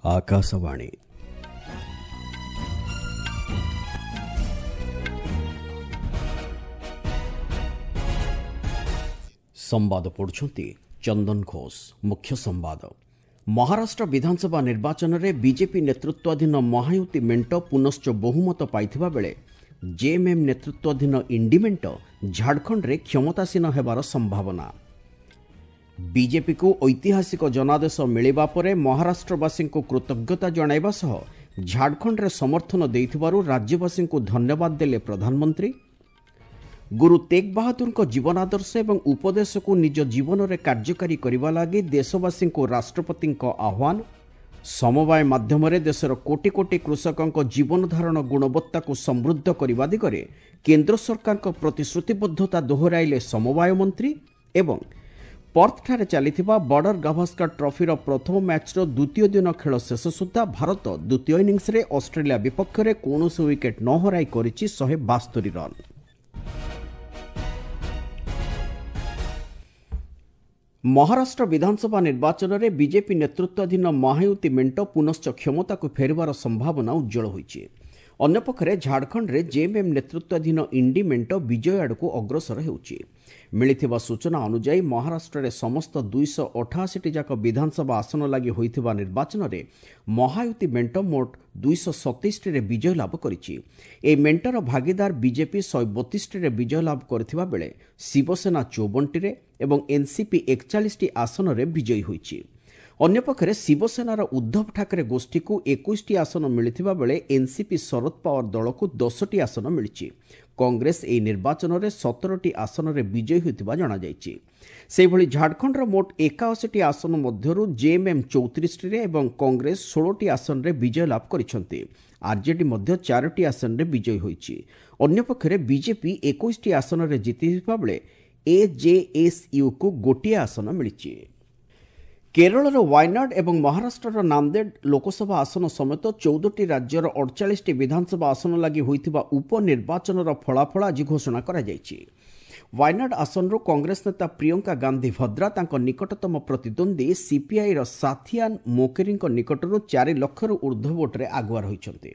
ଆକାଶବାଣୀ। ସମ୍ବାଦ ପଢୁଛନ୍ତି ଚନ୍ଦନ ଘୋଷ। ମୁଖ୍ୟ ସମ୍ବାଦ। ମହାରାଷ୍ଟ୍ର ବିଧାନସଭା ନିର୍ବାଚନରେ ବିଜେପି ନେତୃତ୍ୱାଧୀନ ମହାୟୁତି ମେଣ୍ଟ ପୁନଶ୍ଚ ବହୁମତ ପାଇଥିବା ବେଳେ ଜେଏମ୍ଏମ୍ ନେତୃତ୍ୱାଧୀନ ଇଣ୍ଡି ମେଣ୍ଟ ଝାଡ଼ଖଣ୍ଡରେ କ୍ଷମତାସୀନ ହେବାର ସମ୍ଭାବନା। ବିଜେପିକୁ ଐତିହାସିକ ଜନାଦେଶ ମିଳିବା ପରେ ମହାରାଷ୍ଟ୍ରବାସୀଙ୍କୁ କୃତଜ୍ଞତା ଜଣାଇବା ସହ ଝାଡ଼ଖଣ୍ଡରେ ସମର୍ଥନ ଦେଇଥିବାରୁ ରାଜ୍ୟବାସୀଙ୍କୁ ଧନ୍ୟବାଦ ଦେଲେ ପ୍ରଧାନମନ୍ତ୍ରୀ। ଗୁରୁ ତେଗ ବାହାଦୁରଙ୍କ ଜୀବନାଦର୍ଶ ଏବଂ ଉପଦେଶକୁ ନିଜ ଜୀବନରେ କାର୍ଯ୍ୟକାରୀ କରିବା ଲାଗି ଦେଶବାସୀଙ୍କୁ ରାଷ୍ଟ୍ରପତିଙ୍କ ଆହ୍ୱାନ। ସମବାୟ ମାଧ୍ୟମରେ ଦେଶର କୋଟି କୋଟି କୃଷକଙ୍କ ଜୀବନଧାରଣ ଗୁଣବତ୍ତାକୁ ସମୃଦ୍ଧ କରିବା ଦିଗରେ କେନ୍ଦ୍ର ସରକାରଙ୍କ ପ୍ରତିଶ୍ରୁତିବଦ୍ଧତା ଦୋହରାଇଲେ ସମବାୟ ମନ୍ତ୍ରୀ। ଏବଂ ପର୍ଥଠାରେ ଚାଲିଥିବା ବର୍ଡର ଗାଭାସ୍କର ଟ୍ରଫିର ପ୍ରଥମ ମ୍ୟାଚ୍ର ଦ୍ୱିତୀୟ ଦିନ ଖେଳ ଶେଷ ସୁଦ୍ଧା ଭାରତ ଦ୍ୱିତୀୟ ଇନିଂସରେ ଅଷ୍ଟ୍ରେଲିଆ ବିପକ୍ଷରେ କୌଣସି ୱିକେଟ୍ ନ ହରାଇ କରିଛି 172 ରନ୍। ମହାରାଷ୍ଟ୍ର ବିଧାନସଭା ନିର୍ବାଚନରେ ବିଜେପି ନେତୃତ୍ୱାଧୀନ ମହାୟୁତି ମେଣ୍ଟ ପୁନଶ୍ଚ କ୍ଷମତାକୁ ଫେରିବାର ସମ୍ଭାବନା ଉଜ୍ଜଳ ହୋଇଛି। ଅନ୍ୟପକ୍ଷରେ ଝାଡ଼ଖଣ୍ଡରେ ଜେଏମ୍ଏମ୍ ନେତୃତ୍ୱାଧୀନ ଇଣ୍ଡି ମେଣ୍ଟ ବିଜୟ ଆଡ଼କୁ ଅଗ୍ରସର ହେଉଛି। ମିଳିଥିବା ସୂଚନା ଅନୁଯାୟୀ ମହାରାଷ୍ଟ୍ରରେ ସମସ୍ତ 288ଟି ଯାକ ବିଧାନସଭା ଆସନ ଲାଗି ହୋଇଥିବା ନିର୍ବାଚନରେ ମହାୟୁତି ମେଣ୍ଟ ମୋଟ 227ଟିରେ ବିଜୟ ଲାଭ କରିଛି। ଏହି ମେଣ୍ଟର ଭାଗିଦାର ବିଜେପି 132ଟିରେ ବିଜୟ ଲାଭ କରିଥିବା ବେଳେ ଶିବସେନା 54ଟିରେ ଏବଂ ଏନ୍ସିପି 41ଟି ଆସନରେ ବିଜୟୀ ହୋଇଛି। ଅନ୍ୟପକ୍ଷରେ ଶିବସେନାର ଉଦ୍ଧବ ଠାକରେ ଗୋଷ୍ଠୀକୁ 21ଟି ଆସନ ମିଳିଥିବା ବେଳେ ଏନ୍ସିପି ଶରଦ ପାୱାର ଦଳକୁ 10ଟି ଆସନ ମିଳିଛି। କଂଗ୍ରେସ ଏହି ନିର୍ବାଚନରେ 17ଟି ଆସନରେ ବିଜୟୀ ହୋଇଥିବା ଜଣାଯାଇଛି। ସେହିଭଳି ଝାଡ଼ଖଣ୍ଡର ମୋଟ 81ଟି ଆସନ ମଧ୍ୟରୁ ଜେଏମ୍ଏମ୍ 34ଟିରେ ଏବଂ କଂଗ୍ରେସ 16ଟି ଆସନରେ ବିଜୟ ଲାଭ କରିଛନ୍ତି। ଆର୍ଜେଡି ମଧ୍ୟ 4ଟି ଆସନରେ ବିଜୟୀ ହୋଇଛି। ଅନ୍ୟପକ୍ଷରେ ବିଜେପି 21ଟି ଆସନରେ ଜିତିଥିବା ବେଳେ ଏଜେଏସ୍ୟୁକୁ ଗୋଟିଏ ଆସନ ମିଳିଛି। କେରଳର ୱାୟନାଡ୍ ଏବଂ ମହାରାଷ୍ଟ୍ରର ନାନ୍ଦେଡ୍ ଲୋକସଭା ଆସନ ସମେତ 14ଟି ରାଜ୍ୟର 48ଟି ବିଧାନସଭା ଆସନ ଲାଗି ହୋଇଥିବା ଉପନିର୍ବାଚନର ଫଳାଫଳ ଆଜି ଘୋଷଣା କରାଯାଇଛି। ୱାୟନାଡ୍ ଆସନରୁ କଂଗ୍ରେସ ନେତା ପ୍ରିୟଙ୍କା ଗାନ୍ଧୀ ଭଦ୍ରା ତାଙ୍କ ନିକଟତମ ପ୍ରତିଦ୍ୱନ୍ଦ୍ୱୀ ସିପିଆଇର ସାଥିଆନ୍ ମୋକେରୀଙ୍କ ନିକଟରୁ 4 ଲକ୍ଷରୁ ଉର୍ଦ୍ଧ୍ୱ ଭୋଟ୍ରେ ଆଗୁଆ ରହିଛନ୍ତି।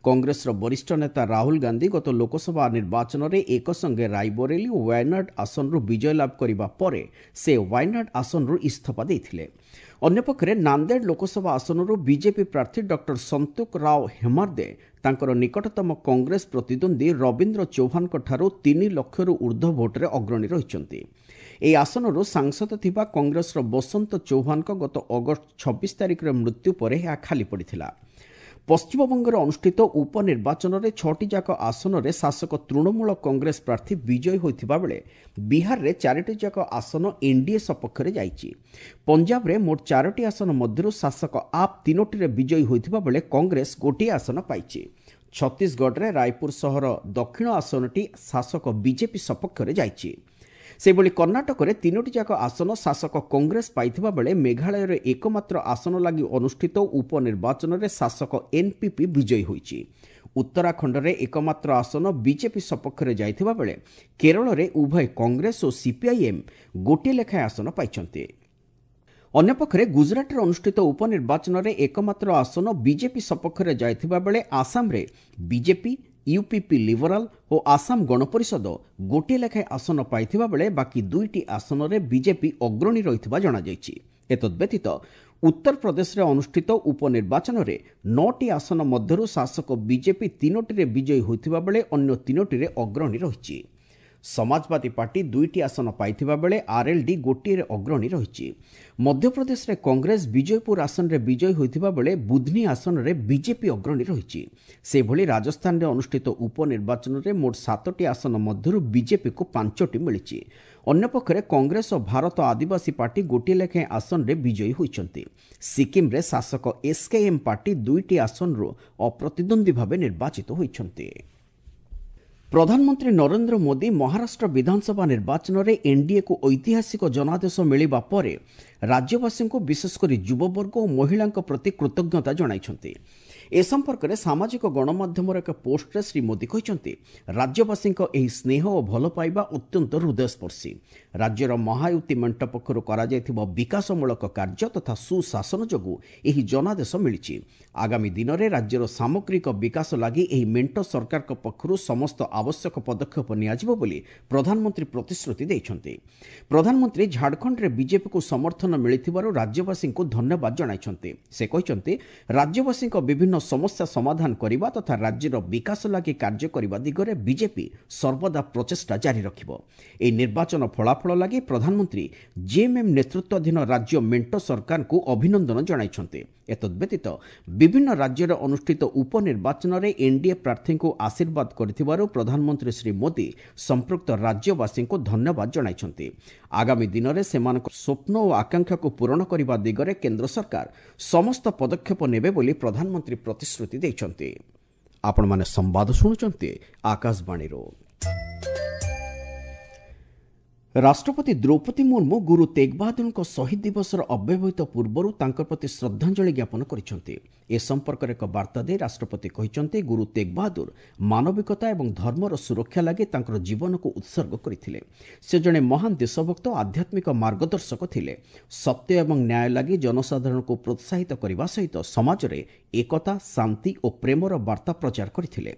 କଂଗ୍ରେସର ବରିଷ୍ଠ ନେତା ରାହୁଲ ଗାନ୍ଧୀ ଗତ ଲୋକସଭା ନିର୍ବାଚନରେ ଏକସଙ୍ଗେ ରାଇବରେଲି ଓ ୱାୟନାଡ୍ ଆସନରୁ ବିଜୟ ଲାଭ କରିବା ପରେ ସେ ୱାୟନାଡ୍ ଆସନରୁ ଇସ୍ତଫା ଦେଇଥିଲେ। ଅନ୍ୟପକ୍ଷରେ ନାନ୍ଦେଡ୍ ଲୋକସଭା ଆସନରୁ ବିଜେପି ପ୍ରାର୍ଥୀ ଡକ୍ଟର ସନ୍ତୋକ ରାଓ ହେମାର୍ଦେ ତାଙ୍କର ନିକଟତମ କଂଗ୍ରେସ ପ୍ରତିଦ୍ୱନ୍ଦ୍ୱୀ ରବୀନ୍ଦ୍ର ଚୌହାନଙ୍କଠାରୁ 3 ଲକ୍ଷରୁ ଉର୍ଦ୍ଧ୍ୱ ଭୋଟ୍ରେ ଅଗ୍ରଣୀ ରହିଛନ୍ତି। ଏହି ଆସନରୁ ସାଂସଦ ଥିବା କଂଗ୍ରେସର ବସନ୍ତ ଚୌହାନଙ୍କ ଗତ ଅଗଷ୍ଟ 26 ତାରିଖରେ ମୃତ୍ୟୁ ପରେ ଏହା ଖାଲି ପଡ଼ିଥିଲା। ପଶ୍ଚିମବଙ୍ଗରେ ଅନୁଷ୍ଠିତ ଉପନିର୍ବାଚନରେ 6ଟି ଯାକ ଆସନରେ ଶାସକ ତୃଣମୂଳ କଂଗ୍ରେସ ପ୍ରାର୍ଥୀ ବିଜୟୀ ହୋଇଥିବା ବେଳେ ବିହାରରେ 4ଟି ଯାକ ଆସନ ଏନ୍ଡିଏ ସପକ୍ଷରେ ଯାଇଛି। ପଞ୍ଜାବରେ ମୋଟ 4ଟି ଆସନ ମଧ୍ୟରୁ ଶାସକ ଆପ୍ 3ଟିରେ ବିଜୟୀ ହୋଇଥିବା ବେଳେ କଂଗ୍ରେସ ଗୋଟିଏ ଆସନ ପାଇଛି। ଛତିଶଗଡ଼ରେ ରାୟପୁର ସହର ଦକ୍ଷିଣ ଆସନଟି ଶାସକ ବିଜେପି ସପକ୍ଷରେ ଯାଇଛି। ସେହିଭଳି କର୍ଣ୍ଣାଟକରେ 3ଟି ଯାକ ଆସନ ଶାସକ କଂଗ୍ରେସ ପାଇଥିବା ବେଳେ ମେଘାଳୟରେ ଏକମାତ୍ର ଆସନ ଲାଗି ଅନୁଷ୍ଠିତ ଉପନିର୍ବାଚନରେ ଶାସକ ଏନ୍ପିପି ବିଜୟୀ ହୋଇଛି। ଉତ୍ତରାଖଣ୍ଡରେ ଏକମାତ୍ର ଆସନ ବିଜେପି ସପକ୍ଷରେ ଯାଇଥିବା ବେଳେ କେରଳରେ ଉଭୟ କଂଗ୍ରେସ ଓ ସିପିଆଇଏମ୍ ଗୋଟିଏ ଲେଖାଏଁ ଆସନ ପାଇଛନ୍ତି। ଅନ୍ୟପକ୍ଷରେ ଗୁଜରାଟରେ ଅନୁଷ୍ଠିତ ଉପନିର୍ବାଚନରେ ଏକମାତ୍ର ଆସନ ବିଜେପି ସପକ୍ଷରେ ଯାଇଥିବା ବେଳେ ଆସାମରେ ବିଜେପି, ୟୁପିପି ଲିବରାଲ ଓ ଆସାମ ଗଣପରିଷଦ ଗୋଟିଏ ଲେଖାଏଁ ଆସନ ପାଇଥିବା ବେଳେ ବାକି 2ଟି ଆସନରେ ବିଜେପି ଅଗ୍ରଣୀ ରହିଥିବା ଜଣାଯାଇଛି। ଏତଦ୍ବ୍ୟତୀତ ଉତ୍ତରପ୍ରଦେଶରେ ଅନୁଷ୍ଠିତ ଉପନିର୍ବାଚନରେ 9ଟି ଆସନ ମଧ୍ୟରୁ ଶାସକ ବିଜେପି 3ଟିରେ ବିଜୟୀ ହୋଇଥିବା ବେଳେ ଅନ୍ୟ 3ଟିରେ ଅଗ୍ରଣୀ ରହିଛି। ସମାଜବାଦୀ ପାର୍ଟି 2ଟି ଆସନ ପାଇଥିବା ବେଳେ ଆର୍ଏଲ୍ଡି ଗୋଟିଏରେ ଅଗ୍ରଣୀ ରହିଛି। ମଧ୍ୟପ୍ରଦେଶରେ କଂଗ୍ରେସ ବିଜୟପୁର ଆସନରେ ବିଜୟୀ ହୋଇଥିବା ବେଳେ ବୁଧନୀ ଆସନରେ ବିଜେପି ଅଗ୍ରଣୀ ରହିଛି। ସେହିଭଳି ରାଜସ୍ଥାନରେ ଅନୁଷ୍ଠିତ ଉପନିର୍ବାଚନରେ ମୋଟ 7ଟି ଆସନ ମଧ୍ୟରୁ ବିଜେପିକୁ 5ଟି ମିଳିଛି। ଅନ୍ୟପକ୍ଷରେ କଂଗ୍ରେସ ଓ ଭାରତ ଆଦିବାସୀ ପାର୍ଟି ଗୋଟିଏ ଲେଖାଏଁ ଆସନରେ ବିଜୟୀ ହୋଇଛନ୍ତି। ସିକିମ୍ରେ ଶାସକ ଏସ୍କେଏମ୍ ପାର୍ଟି 2ଟି ଆସନରୁ ଅପ୍ରତିଦ୍ୱନ୍ଦ୍ୱୀ ଭାବେ ନିର୍ବାଚିତ ହୋଇଛନ୍ତି। ପ୍ରଧାନମନ୍ତ୍ରୀ ନରେନ୍ଦ୍ର ମୋଦି ମହାରାଷ୍ଟ୍ର ବିଧାନସଭା ନିର୍ବାଚନରେ ଏନ୍ଡିଏକୁ ଐତିହାସିକ ଜନାଦେଶ ମିଳିବା ପରେ ରାଜ୍ୟବାସୀଙ୍କୁ ବିଶେଷକରି ଯୁବବର୍ଗ ଓ ମହିଳାଙ୍କ ପ୍ରତି କୃତଜ୍ଞତା ଜଣାଇଛନ୍ତି। ଏ ସମ୍ପର୍କରେ ସାମାଜିକ ଗଣମାଧ୍ୟମର ଏକ ପୋଷ୍ଟରେ ଶ୍ରୀ ମୋଦି କହିଛନ୍ତି, ରାଜ୍ୟବାସୀଙ୍କ ଏହି ସ୍ନେହ ଓ ଭଲ ପାଇବା ଅତ୍ୟନ୍ତ ହୃଦୟସ୍ପର୍ଶୀ। ରାଜ୍ୟର ମହାୟୁତି ମେଣ୍ଟ ପକ୍ଷରୁ କରାଯାଇଥିବା ବିକାଶମୂଳକ କାର୍ଯ୍ୟ ତଥା ସୁଶାସନ ଯୋଗୁଁ ଏହି ଜନାଦେଶ ମିଳିଛି। ଆଗାମୀ ଦିନରେ ରାଜ୍ୟର ସାମଗ୍ରିକ ବିକାଶ ଲାଗି ଏହି ମେଣ୍ଟ ସରକାରଙ୍କ ପକ୍ଷରୁ ସମସ୍ତ ଆବଶ୍ୟକ ପଦକ୍ଷେପ ନିଆଯିବ ବୋଲି ପ୍ରଧାନମନ୍ତ୍ରୀ ପ୍ରତିଶ୍ରୁତି ଦେଇଛନ୍ତି। ପ୍ରଧାନମନ୍ତ୍ରୀ ଝାଡ଼ଖଣ୍ଡରେ ବିଜେପିକୁ ସମର୍ଥନ ମିଳିଥିବାରୁ ରାଜ୍ୟବାସୀଙ୍କୁ ଧନ୍ୟବାଦ ଜଣାଇଛନ୍ତି। ସେ କହିଛନ୍ତି, ରାଜ୍ୟବାସୀଙ୍କ ବିଭିନ୍ନ ସମସ୍ୟା ସମାଧାନ କରିବା ତଥା ରାଜ୍ୟର ବିକାଶ ଲାଗି କାର୍ଯ୍ୟ କରିବା ଦିଗରେ ବିଜେପି ସର୍ବଦା ପ୍ରଚେଷ୍ଟା ଜାରି ରଖିବ। ଏହି ନିର୍ବାଚନ ଫଳାଫଳ ଲାଗି ପ୍ରଧାନମନ୍ତ୍ରୀ ଜେଏମ୍ଏମ୍ ନେତୃତ୍ୱାଧୀନ ରାଜ୍ୟ ମେଣ୍ଟ ସରକାରଙ୍କୁ ଅଭିନନ୍ଦନ ଜଣାଇଛନ୍ତି। ଏତଦ୍ବ୍ୟତୀତ ବିଭିନ୍ନ ରାଜ୍ୟରେ ଅନୁଷ୍ଠିତ ଉପନିର୍ବାଚନରେ ଏନ୍ଡିଏ ପ୍ରାର୍ଥୀଙ୍କୁ ଆଶୀର୍ବାଦ କରିଥିବାରୁ ପ୍ରଧାନମନ୍ତ୍ରୀ ଶ୍ରୀ ମୋଦି ସମ୍ପୃକ୍ତ ରାଜ୍ୟବାସୀଙ୍କୁ ଧନ୍ୟବାଦ ଜଣାଇଛନ୍ତି। ଆଗାମୀ ଦିନରେ ସେମାନଙ୍କ ସ୍ୱପ୍ନ ଓ ଆକାଂକ୍ଷାକୁ ପୂରଣ କରିବା ଦିଗରେ କେନ୍ଦ୍ର ସରକାର ସମସ୍ତ ପଦକ୍ଷେପ ନେବେ ବୋଲି ପ୍ରଧାନମନ୍ତ୍ରୀ ପ୍ରତିଶ୍ରୁତି ଦେଇଛନ୍ତି। ଆପଣମାନେ ସମ୍ବାଦ ଶୁଣୁଛନ୍ତି ଆକାଶବାଣୀରୁ। ରାଷ୍ଟ୍ରପତି ଦ୍ରୌପଦୀ ମୁର୍ମୁ ଗୁରୁ ତେଗ ବାହାଦୁରଙ୍କ ଶହୀଦ ଦିବସର ଅବ୍ୟବହିତ ପୂର୍ବରୁ ତାଙ୍କ ପ୍ରତି ଶ୍ରଦ୍ଧାଞ୍ଜଳି ଜ୍ଞାପନ କରିଛନ୍ତି। ଏ ସମ୍ପର୍କରେ ଏକ ବାର୍ତ୍ତା ଦେଇ ରାଷ୍ଟ୍ରପତି କହିଛନ୍ତି, ଗୁରୁ ତେଗ ବାହାଦୁର ମାନବିକତା ଏବଂ ଧର୍ମର ସୁରକ୍ଷା ଲାଗି ତାଙ୍କର ଜୀବନକୁ ଉତ୍ସର୍ଗ କରିଥିଲେ। ସେ ଜଣେ ମହାନ ଦେଶଭକ୍ତ ଓ ଆଧ୍ୟାତ୍ମିକ ମାର୍ଗଦର୍ଶକ ଥିଲେ। ସତ୍ୟ ଏବଂ ନ୍ୟାୟ ଲାଗି ଜନସାଧାରଣଙ୍କୁ ପ୍ରୋତ୍ସାହିତ କରିବା ସହିତ ସମାଜରେ ଏକତା, ଶାନ୍ତି ଓ ପ୍ରେମର ବାର୍ତ୍ତା ପ୍ରଚାର କରିଥିଲେ।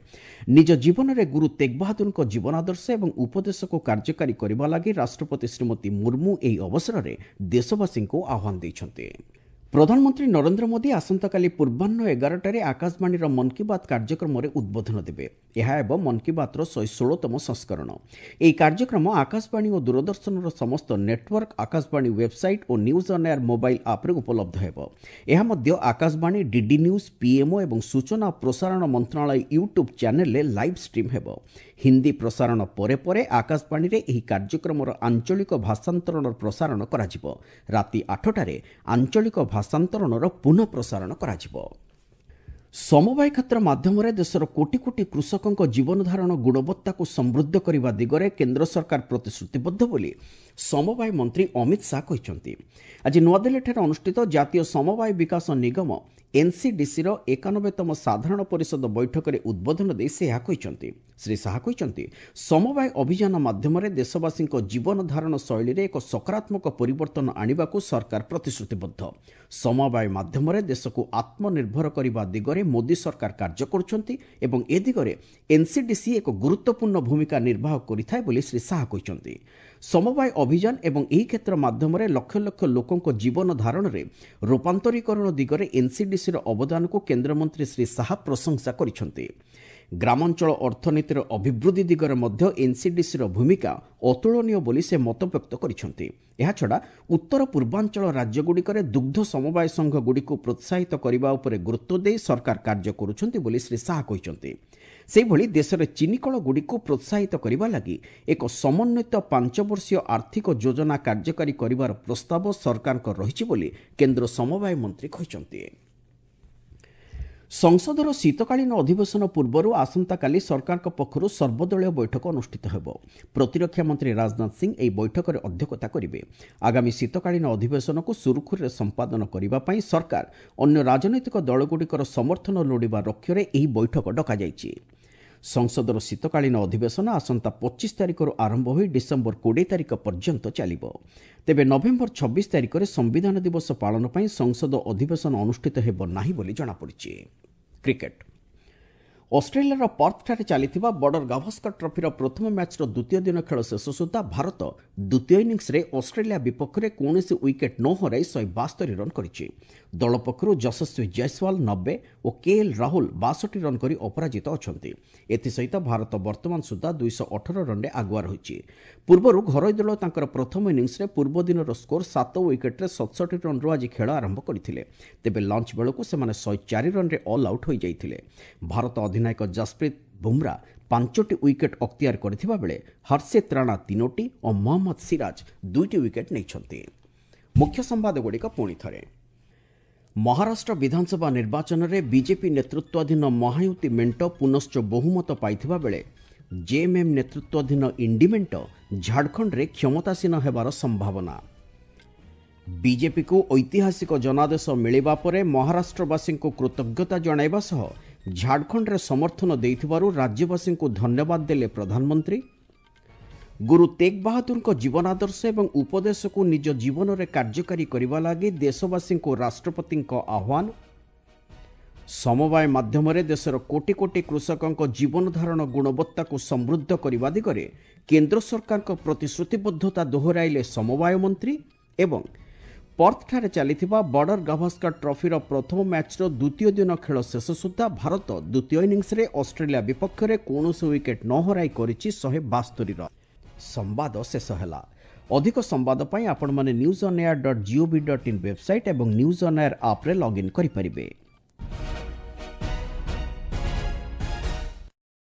ନିଜ ଜୀବନରେ ଗୁରୁ ତେଗ ବାହାଦୁରଙ୍କ ଜୀବନାଦର୍ଶ ଏବଂ ଉପଦେଶକୁ କାର୍ଯ୍ୟକାରୀ କରିବା ଲାଗି ରାଷ୍ଟ୍ରପତି ଶ୍ରୀମତୀ ମୁର୍ମୁ ଏହି ଅବସରରେ ଦେଶବାସୀଙ୍କୁ ଆହ୍ୱାନ ଦେଇଛନ୍ତି। ପ୍ରଧାନମନ୍ତ୍ରୀ ନରେନ୍ଦ୍ର ମୋଦି ଆସନ୍ତାକାଲି ପୂର୍ବାହ୍ନ 11ଟାରେ ଆକାଶବାଣୀର ମନ୍ କି ବାତ୍ କାର୍ଯ୍ୟକ୍ରମରେ ଉଦ୍ବୋଧନ ଦେବେ। ଏହା ହେବ ମନ୍ କି ବାତ୍ର 116ତମ ସଂସ୍କରଣ। ଏହି କାର୍ଯ୍ୟକ୍ରମ ଆକାଶବାଣୀ ଓ ଦୂରଦର୍ଶନର ସମସ୍ତ network, Akashvani website O news on air mobile ଆପ୍ରେ ଉପଲବ୍ଧ ହେବ। ଏହା ମଧ୍ୟ ଆକାଶବାଣୀ, ଡିଡି ନ୍ୟୁଜ୍, ପିଏମ୍ଓ ଏବଂ ସୂଚନା ଓ ପ୍ରସାରଣ ମନ୍ତ୍ରଣାଳୟ ୟୁଟ୍ୟୁବ୍ ଚ୍ୟାନେଲ୍ରେ ଲାଇଭ୍ ଷ୍ଟ୍ରିମ୍ ହେବ। ହିନ୍ଦୀ ପ୍ରସାରଣ ପରେ ପରେ ଆକାଶବାଣୀରେ ଏହି କାର୍ଯ୍ୟକ୍ରମର ଆଞ୍ଚଳିକ ଭାଷାନ୍ତରଣର ପ୍ରସାରଣ କରାଯିବ। ରାତି 8ଟାରେ ଆଞ୍ଚଳିକ ଭାଷାନ୍ତରଣର ପୁନଃ ପ୍ରସାରଣ କରାଯିବ। ସମବାୟ କ୍ଷେତ୍ର ମାଧ୍ୟମରେ ଦେଶର କୋଟି କୋଟି କୃଷକଙ୍କ ଜୀବନଧାରଣ ଗୁଣବତ୍ତାକୁ ସମୃଦ୍ଧ କରିବା ଦିଗରେ କେନ୍ଦ୍ର ସରକାର ପ୍ରତିଶ୍ରୁତିବଦ୍ଧ ବୋଲି ସମବାୟ ମନ୍ତ୍ରୀ ଅମିତ ଶାହା କହିଛନ୍ତି। ଆଜି ନୂଆଦିଲ୍ଲୀଠାରେ ଅନୁଷ୍ଠିତ ଜାତୀୟ ସମବାୟ ବିକାଶ ନିଗମ ଏନ୍ସିଡିସିର 91ତମ ସାଧାରଣ ପରିଷଦ ବୈଠକରେ ଉଦ୍ବୋଧନ ଦେଇ ସେ ଏହା କହିଛନ୍ତି। ଶ୍ରୀ ଶାହା କହିଛନ୍ତି, ସମବାୟ ଅଭିଯାନ ମାଧ୍ୟମରେ ଦେଶବାସୀଙ୍କ ଜୀବନଧାରଣ ଶୈଳୀରେ ଏକ ସକାରାତ୍ମକ ପରିବର୍ତ୍ତନ ଆଣିବାକୁ ସରକାର ପ୍ରତିଶ୍ରୁତିବଦ୍ଧ। ସମବାୟ ମାଧ୍ୟମରେ ଦେଶକୁ ଆତ୍ମନିର୍ଭର କରିବା ଦିଗରେ ମୋଦି ସରକାର କାର୍ଯ୍ୟ କରୁଛନ୍ତି ଏବଂ ଏ ଦିଗରେ ଏନ୍ସିଡିସି ଏକ ଗୁରୁତ୍ୱପୂର୍ଣ୍ଣ ଭୂମିକା ନିର୍ବାହ କରିଥାଏ ବୋଲି ଶ୍ରୀ ଶାହା କହିଛନ୍ତି। ସମବାୟ ଅଭିଯାନ ଏବଂ ଏହି କ୍ଷେତ୍ର ମାଧ୍ୟମରେ ଲକ୍ଷ ଲକ୍ଷ ଲୋକଙ୍କ ଜୀବନ ଧାରଣରେ ରୂପାନ୍ତରୀକରଣ ଦିଗରେ ଏନ୍ସିଡିସିର ଅବଦାନକୁ କେନ୍ଦ୍ରମନ୍ତ୍ରୀ ଶ୍ରୀ ଶାହା ପ୍ରଶଂସା କରିଛନ୍ତି। ଗ୍ରାମାଞ୍ଚଳ ଅର୍ଥନୀତିର ଅଭିବୃଦ୍ଧି ଦିଗରେ ମଧ୍ୟ ଏନ୍ସିଡିସିର ଭୂମିକା ଅତୁଳନୀୟ ବୋଲି ସେ ମତବ୍ୟକ୍ତ କରିଛନ୍ତି। ଏହାଛଡ଼ା ଉତ୍ତର ପୂର୍ବାଞ୍ଚଳ ରାଜ୍ୟଗୁଡ଼ିକରେ ଦୁଗ୍ଧ ସମବାୟ ସଂଘଗୁଡ଼ିକୁ ପ୍ରୋତ୍ସାହିତ କରିବା ଉପରେ ଗୁରୁତ୍ୱ ଦେଇ ସରକାର କାର୍ଯ୍ୟ କରୁଛନ୍ତି ବୋଲି ଶ୍ରୀ ଶାହା କହିଛନ୍ତି। ସେହିଭଳି ଦେଶରେ ଚିନିକଳଗୁଡ଼ିକୁ ପ୍ରୋତ୍ସାହିତ କରିବା ଲାଗି ଏକ ସମନ୍ୱିତ 5 ବର୍ଷୀୟ ଆର୍ଥିକ ଯୋଜନା କାର୍ଯ୍ୟକାରୀ କରିବାର ପ୍ରସ୍ତାବ ସରକାରଙ୍କ ରହିଛି ବୋଲି କେନ୍ଦ୍ର ସମବାୟ ମନ୍ତ୍ରୀ କହିଛନ୍ତି। ସଂସଦର ଶୀତକାଳୀନ ଅଧିବେଶନ ପୂର୍ବରୁ ଆସନ୍ତାକାଲି ସରକାରଙ୍କ ପକ୍ଷରୁ ସର୍ବଦଳୀୟ ବୈଠକ ଅନୁଷ୍ଠିତ ହେବ। ପ୍ରତିରକ୍ଷା ମନ୍ତ୍ରୀ ରାଜନାଥ ସିଂ ଏହି ବୈଠକରେ ଅଧ୍ୟକ୍ଷତା କରିବେ। ଆଗାମୀ ଶୀତକାଳୀନ ଅଧିବେଶନକୁ ସୁରୁଖୁରୁରେ ସମ୍ପାଦନ କରିବା ପାଇଁ ସରକାର ଅନ୍ୟ ରାଜନୈତିକ ଦଳଗୁଡ଼ିକର ସମର୍ଥନ ଲୋଡ଼ିବା ଲକ୍ଷ୍ୟରେ ଏହି ବୈଠକ ଡକାଯାଇଛି। ସଂସଦର ଶୀତକାଳୀନ ଅଧିବେଶନ ଆସନ୍ତା 25 ତାରିଖରୁ ଆରମ୍ଭ ହୋଇ ଡିସେମ୍ବର 20 ତାରିଖ ପର୍ଯ୍ୟନ୍ତ ଚାଲିବ। ତେବେ ନଭେମ୍ବର 26 ତାରିଖରେ ସମ୍ବିଧାନ ଦିବସ ପାଳନ ପାଇଁ ସଂସଦ ଅଧିବେଶନ ଅନୁଷ୍ଠିତ ହେବ ନାହିଁ ବୋଲି ଜଣାପଡ଼ିଛି। କ୍ରିକେଟ୍, ଅଷ୍ଟ୍ରେଲିଆର ପର୍ଥଠାରେ ଚାଲିଥିବା ବର୍ଡର ଗାଭାସ୍କର ଟ୍ରଫିର ପ୍ରଥମ ମ୍ୟାଚ୍ର ଦ୍ୱିତୀୟ ଦିନ ଖେଳ ଶେଷ ସୁଦ୍ଧା ଭାରତ ଦ୍ୱିତୀୟ ଇନିଂସରେ ଅଷ୍ଟ୍ରେଲିଆ ବିପକ୍ଷରେ କୌଣସି ୱିକେଟ୍ ନ ହରାଇ 172 ରନ୍ କରିଛି। ଦଳ ପକ୍ଷରୁ ଯଶସ୍ୱୀ ଜୟସ୍ୱାଲ 90 ଓ କେଏଲ୍ ରାହୁଲ 62 ରନ୍ କରି ଅପରାଜିତ ଅଛନ୍ତି। ଏଥିସହିତ ଭାରତ ବର୍ତ୍ତମାନ ସୁଦ୍ଧା 218 ରନ୍ରେ ଆଗୁଆ ରହିଛି। ପୂର୍ବରୁ ଘରୋଇ ଦଳ ତାଙ୍କର ପ୍ରଥମ ଇନିଂସରେ ପୂର୍ବ ଦିନର ସ୍କୋର 7 ୱିକେଟ୍ରେ 67 ରନ୍ରୁ ଆଜି ଖେଳ ଆରମ୍ଭ କରିଥିଲେ। ତେବେ ଲଞ୍ଚ ବେଳକୁ ସେମାନେ 104 ରନ୍ରେ ଅଲ୍ ଆଉଟ୍ ହୋଇଯାଇଥିଲେ। ଭାରତ ଅଧିନାୟକ ଜସପ୍ରୀତ ବୁମ୍ରା 5ଟି ୱିକେଟ୍ ଅକ୍ତିଆର କରିଥିବା ବେଳେ ହର୍ଷିତ ରାଣା 3ଟି ଓ ମହମ୍ମଦ ସିରାଜ 2ଟି ୱିକେଟ୍ ନେଇଛନ୍ତି। ମୁଖ୍ୟ ସମ୍ବାଦଗୁଡ଼ିକ ପୁଣି ଥରେ। ମହାରାଷ୍ଟ୍ର ବିଧାନସଭା ନିର୍ବାଚନରେ ବିଜେପି ନେତୃତ୍ୱାଧୀନ ମହାୟୁତି ମେଣ୍ଟ ପୁନଶ୍ଚ ବହୁମତ ପାଇଥିବା ବେଳେ ଜେଏମ୍ଏମ୍ ନେତୃତ୍ୱାଧୀନ ଇଣ୍ଡି ମେଣ୍ଟ ଝାଡ଼ଖଣ୍ଡରେ କ୍ଷମତାସୀନ ହେବାର ସମ୍ଭାବନା। ବିଜେପିକୁ ଐତିହାସିକ ଜନାଦେଶ ମିଳିବା ପରେ ମହାରାଷ୍ଟ୍ରବାସୀଙ୍କୁ କୃତଜ୍ଞତା ଜଣାଇବା ସହ ଝାଡ଼ଖଣ୍ଡରେ ସମର୍ଥନ ଦେଇଥିବାରୁ ରାଜ୍ୟବାସୀଙ୍କୁ ଧନ୍ୟବାଦ ଦେଲେ ପ୍ରଧାନମନ୍ତ୍ରୀ। ଗୁରୁ ତେଗ ବାହାଦୁରଙ୍କ ଜୀବନାଦର୍ଶ ଏବଂ ଉପଦେଶକୁ ନିଜ ଜୀବନରେ କାର୍ଯ୍ୟକାରୀ କରିବା ଲାଗି ଦେଶବାସୀଙ୍କୁ ରାଷ୍ଟ୍ରପତିଙ୍କ ଆହ୍ୱାନ। ସମବାୟ ମାଧ୍ୟମରେ ଦେଶର କୋଟି କୋଟି କୃଷକଙ୍କ ଜୀବନଧାରଣ ଗୁଣବତ୍ତାକୁ ସମୃଦ୍ଧ କରିବା ଦିଗରେ କେନ୍ଦ୍ର ସରକାରଙ୍କ ପ୍ରତିଶ୍ରୁତିବଦ୍ଧତା ଦୋହରାଇଲେ ସମବାୟ ମନ୍ତ୍ରୀ। ଏବଂ ପର୍ଥଠାରେ ଚାଲିଥିବା ବର୍ଡର ଗାଭାସ୍କର ଟ୍ରଫିର ପ୍ରଥମ ମ୍ୟାଚ୍ର ଦ୍ୱିତୀୟ ଦିନ ଖେଳ ଶେଷ ସୁଦ୍ଧା ଭାରତ ଦ୍ୱିତୀୟ ଇନିଂସରେ ଅଷ୍ଟ୍ରେଲିଆ ବିପକ୍ଷରେ କୌଣସି ୱିକେଟ୍ ନ ହରାଇ କରିଛି 172 ରନ୍। ସମ୍ବାଦ ଶେଷ ହେଲା। ଅଧିକ ସମ୍ବାଦ ପାଇଁ ଆପଣମାନେ news on air dot GOV dot in website ଏବଂ ନ୍ୟୁଜ୍ ଅନ୍ ଏୟାର ଆପ୍ରେ ଲଗ୍ଇନ୍ କରିପାରିବେ।